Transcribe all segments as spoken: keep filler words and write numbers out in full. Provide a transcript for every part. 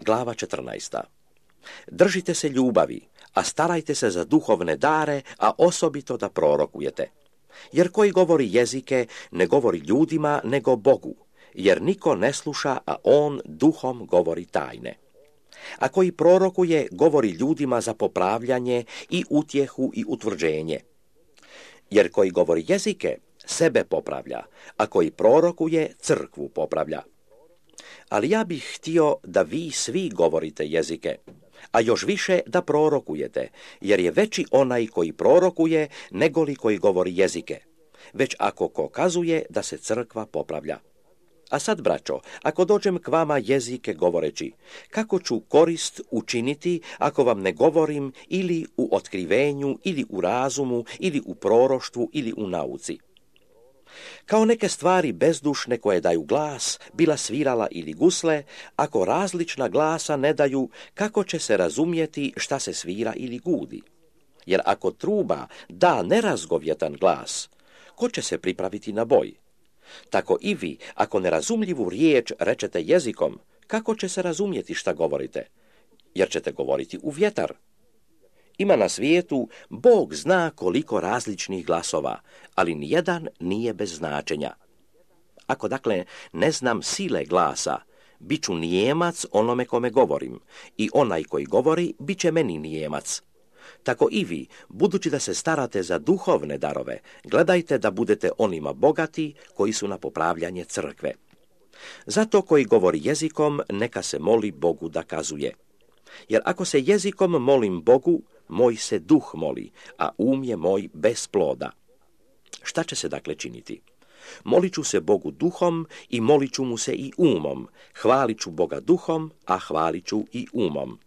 Glava četrnaesta. Držite se ljubavi, a starajte se za duhovne dare, a osobito da prorokujete. Jer koji govori jezike, ne govori ljudima, nego Bogu, jer niko ne sluša, a on duhom govori tajne. A koji prorokuje, govori ljudima za popravljanje i utjehu i utvrđenje. Jer koji govori jezike, sebe popravlja, a koji prorokuje, crkvu popravlja. Ali ja bih htio da vi svi govorite jezike, a još više da prorokujete, jer je veći onaj koji prorokuje negoli koji govori jezike, već ako ko kazuje da se crkva popravlja. A sad, braćo, ako dođem k vama jezike govoreći, kako ću korist učiniti ako vam ne govorim ili u otkrivenju, ili u razumu, ili u proroštvu, ili u nauci? Kao neke stvari bezdušne koje daju glas, bila svirala ili gusle, ako različna glasa ne daju, kako će se razumjeti šta se svira ili gudi? Jer ako truba da nerazgovjetan glas, ko će se pripraviti na boj? Tako i vi, ako nerazumljivu riječ rečete jezikom, kako će se razumjeti šta govorite? Jer ćete govoriti u vjetar. Ima na svijetu, Bog zna koliko različnih glasova, ali nijedan nije bez značenja. Ako dakle ne znam sile glasa, bit ću nijemac onome kome govorim, i onaj koji govori bit će meni nijemac. Tako i vi, budući da se starate za duhovne darove, gledajte da budete onima bogati koji su na popravljanje crkve. Zato koji govori jezikom, neka se moli Bogu da kazuje. Jer ako se jezikom molim Bogu, moj se duh moli, a um je moj bez ploda. Šta će se dakle činiti? Molit ću se Bogu duhom i molit ću mu se i umom. Hvalit ću Boga duhom, a hvalit ću i umom.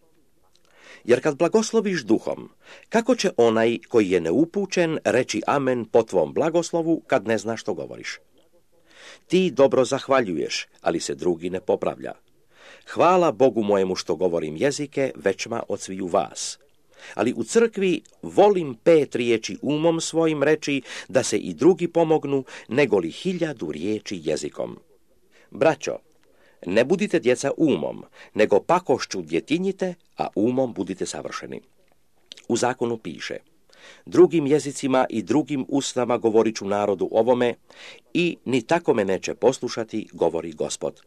Jer kad blagosloviš duhom, kako će onaj koji je neupućen reći amen po tvom blagoslovu kad ne zna što govoriš? Ti dobro zahvaljuješ, ali se drugi ne popravlja. Hvala Bogu mojemu što govorim jezike većma od sviju vas. Ali u crkvi volim pet riječi umom svojim reći da se i drugi pomognu, nego li hiljadu riječi jezikom. Braćo, ne budite djeca umom, nego pakošću djetinjite, a umom budite savršeni. U zakonu piše: drugim jezicima i drugim usnama govorit ću narodu ovome, i ni tako me neće poslušati, govori Gospod.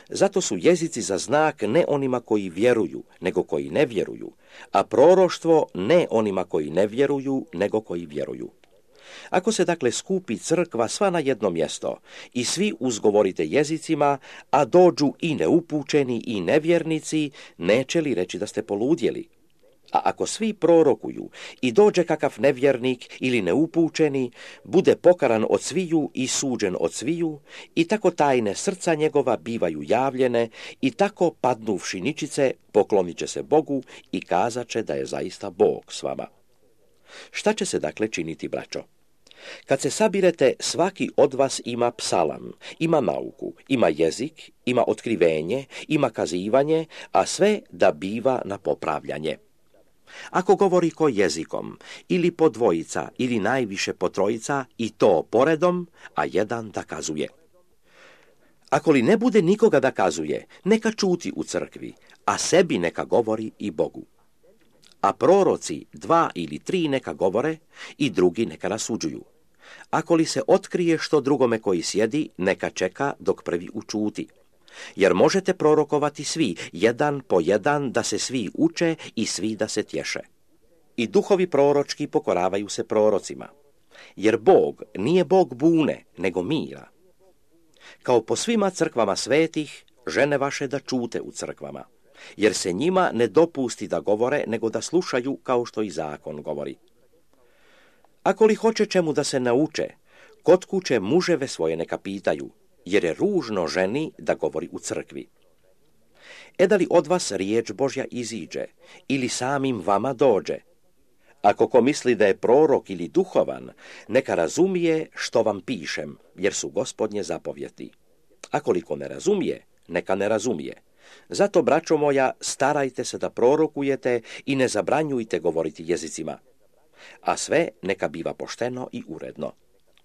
Zato su jezici za znak ne onima koji vjeruju, nego koji ne vjeruju, a proroštvo ne onima koji ne vjeruju, nego koji vjeruju. Ako se dakle skupi crkva sva na jedno mjesto i svi uzgovorite jezicima, a dođu i neupućeni i nevjernici, neće li reći da ste poludjeli? A ako svi prorokuju i dođe kakav nevjernik ili neupućeni, bude pokaran od sviju i suđen od sviju, i tako tajne srca njegova bivaju javljene, i tako padnuvši ničice poklonit će se Bogu i kazat će da je zaista Bog s vama. Šta će se dakle činiti, braćo? Kad se sabirete, svaki od vas ima psalam, ima nauku, ima jezik, ima otkrivenje, ima kazivanje, a sve da biva na popravljanje. Ako govori ko jezikom, ili po dvojica, ili najviše po trojica, i to poredom, a jedan da kazuje. Ako li ne bude nikoga da kazuje, neka čuti u crkvi, a sebi neka govori i Bogu. A proroci dva ili tri neka govore, i drugi neka rasuđuju. Ako li se otkrije što drugome koji sjedi, neka čeka dok prvi učuti. Jer možete prorokovati svi, jedan po jedan, da se svi uče i svi da se tješe. I duhovi proročki pokoravaju se prorocima. Jer Bog nije Bog bune, nego mira. Kao po svima crkvama svetih, žene vaše da čute u crkvama, jer se njima ne dopusti da govore, nego da slušaju kao što i zakon govori. Ako li hoće čemu da se nauče, kod kuće muževe svoje neka pitaju, jer je ružno ženi da govori u crkvi. E da li od vas riječ Božja iziđe, ili samim vama dođe? Ako ko misli da je prorok ili duhovan, neka razumije što vam pišem, jer su Gospodnje zapovjeti. Ako li ko ne razumije, neka ne razumije. Zato, braćo moja, starajte se da prorokujete i ne zabranjujte govoriti jezicima. A sve neka biva pošteno i uredno.